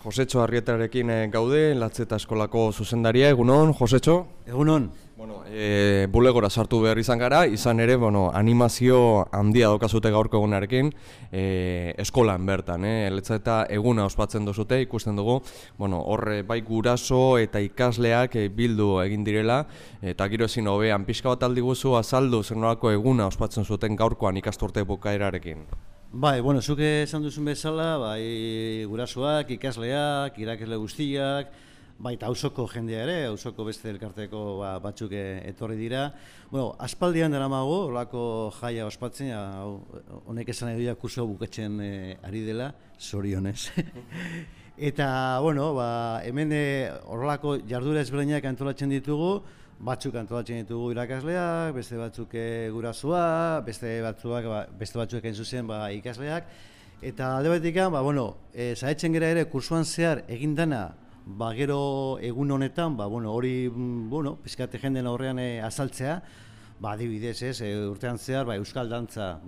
Josetxo Arrietarekin gaude, Latzeta eskolako zuzendaria, egunon, Josetxo? Egunon. Bulegora sartu behar izan gara, izan ere, animazio handia daukazute gaurko egunarekin, eskolan bertan, Latzeta eguna ospatzen duzute, ikusten dugu, horre bai guraso eta ikasleak bildu egin direla, eta gero ezin hobean, pixka bat aldi guzu azaldu zer nolako eguna ospatzen zuten gaurkoan ikasturte bukaerarekin. Bai, zuk esan duzun bezala, gurasoak, ikasleak, irakasle guztiak, baita auzoko jendea ere, auzoko beste elkarteko batzuk etorri dira. Aspaldian daramago, horrelako jaia ospatzen, honek esan nahi duia kurso bukatzen ari dela, zorionez. Eta, hemen horrelako jarduera ezberdinak antolatzen ditugu, batzuk antolatzen ditugu irakasleak, beste batzuk gurasoak, beste batzuk egin zuzen ikasleak. Eta alde batetik, saiatzen gara ere kursuan zehar egin dana, gero egun honetan, hori pizkate jenden aurrean azaltzea, adibidez, urtean zehar euskal dantza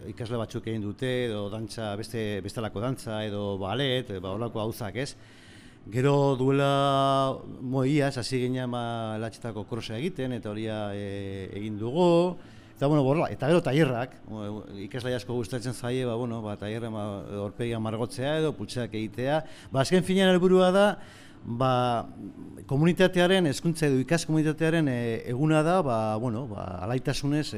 ikasle batzuk egin dute, edo dantza, bestelako dantza, edo balet, horrelako gauzak, ez? Gero duela iaz, hasi ginean Latzetako krosa egiten, eta horia egin dugu. Eta gero tailerrak, ikasle asko gustatzen zaie, tailerra aurpegia margotzea edo putxeak egitea. Azken finean helburua da, komunitatearen, hezkuntza edo ikas komunitatearen eguna da, alaitasunez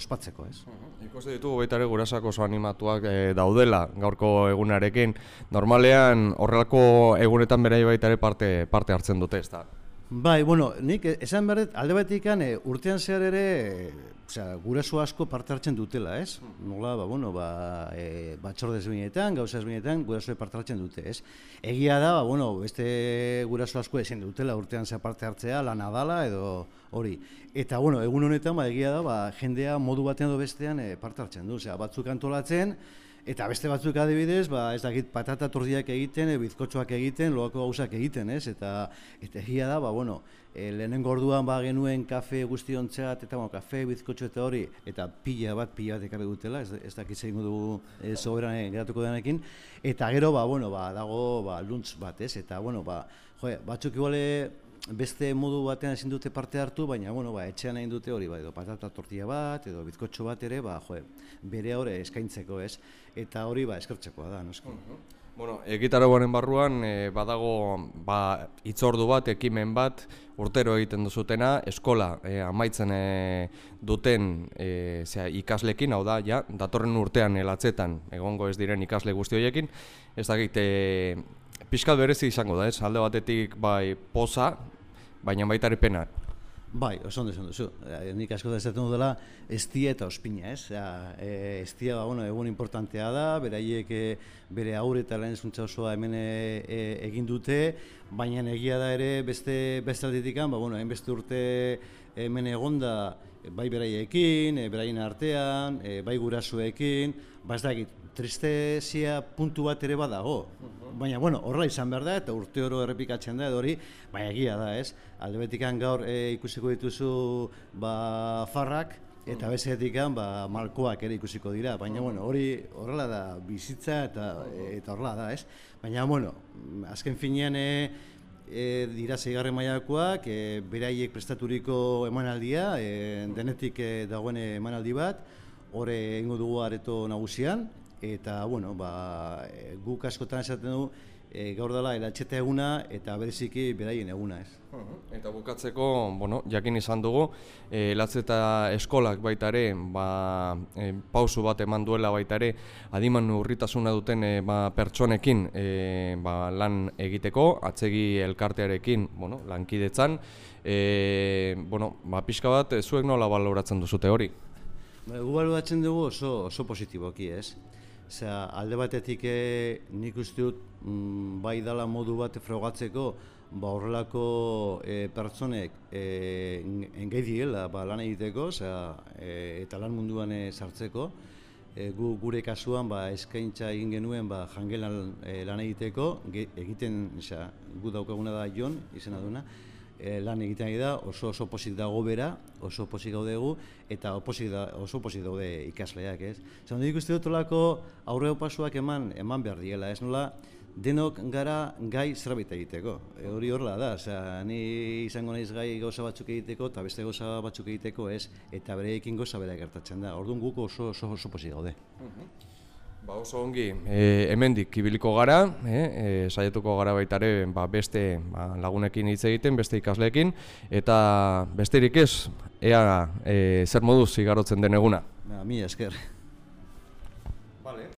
ospatzeko, ez? Ikuste ditugu baita ere gurasoak oso animatuak daudela gaurko egunarekin. Normalean horrelako egunetan berai baita ere parte hartzen dute, ez da? Bai, nik esan behar dut, alde batetik urtean zehar ere guraso asko parte hartzen dutela, ez? Nola, batzorde ezberdinetan, gauza ezberdinetan, gurasoek parte hartzen dute, ez? Egia da, beste guraso asko ezin dutela urtean zehar parte hartzea, lana dala edo hori. Eta, egun honetan, egia da, jendea modu batean edo bestean parte hartzen du, batzuk antolatzen, eta beste batzuk adibidez, ez dakit patata tordiak egiten, bizkotxoak egiten, loako gauzak egiten, ez? Eta egia da, lehenengo orduan genuen kafe guztiontzat, eta kafe, bizkotxo eta hori, eta pila bat ekarri dutela, ez dakit zein dugu soberan geratuko denekin, eta gero, dago luntz bat, ez? Eta, batzuk iguale beste modu batean ezin dute parte hartu, baina, etxean egin dute hori, edo patata tortilla bat, edo bizkotxo bat ere, bere hori eskaintzeko, ez? Eta hori, eskertzekoa da, noski. Egitarauaren barruan, badago hitzordu bat, ekimen bat, urtero egiten duzutena, eskola amaitzen duten ikaslekin, hau da, datorren urtean Latzetan egongo ez diren ikasle guzti horiekin, ez dakit, pixkat berezi izango da, ez? Alde batetik poza, baina baita ere pena. Bai, oso ondo esan duzu. Nik asko da esaten dudala, estia eta ospina, ez? Estia, egun importantea da, beraiek bere aurre eta lehen hezkuntza osoa hemen egin dute, baina egia da ere beste aldetik, hainbeste urte hemen egonda, bai beraiekin, beraien artean, bai gurasoekin, ez dakit, tristezia puntu bat ere badago. Baina, horrela izan behar da, eta urte oro errepikatzen da, edo hori, baina egia da, ez? Alde betikan gaur ikusiko dituzu farrak, eta bezetik malkoak ere ikusiko dira, baina, hori horrela da bizitza eta horrela da, ez? Baina, azken finean dira 6. mailakoak, beraiek prestaturiko emanaldia, denetik dagoen emanaldi bat, hori egingo dugu areto nagusian, eta, guk askotan esaten du, gaur dela Latzeta eguna eta bereziki beraien eguna, ez? Eta bukatzeko, jakin izan dugu, Latzeta eskolak baita ere, pausu bat eman duela baita ere, adiman urritasuna duten pertsonekin lan egiteko, atzegi elkartearekin lankidetzan, pixka bat, zuek nola baloratzen duzute hori? Gu baloratzen dugu oso positiboki, ez? Alde batetik nik uste dut bai dala modu bat frogatzeko horrelako pertsonek engei direla lan egiteko eta lan munduan sartzeko. Gure kasuan eskaintza egin genuen jangelan lan egiteko, gu daukaguna da Jon, izena duena, lan egiten ari da, oso pozik dago bera, oso pozik gaudegu, eta oso pozik daude ikasleak, ez? Nik uste dut olako aurreo pasuak eman behar diela, ez nola, denok gara gai zerbait egiteko. Hori horrela da, osea, ni izango naiz gai gauza batzuk egiteko eta beste gauza batzuk egiteko ez, eta bereekin gauza bera gertatzen da. Orduan guk oso pozik gaude. Ba oso ongi, hemendik ibiliko gara, saiatuko gara baita ere beste lagunekin hitz egiten, beste ikasleekin, eta besterik ez, ea zer moduz igarotzen den eguna. Mila esker.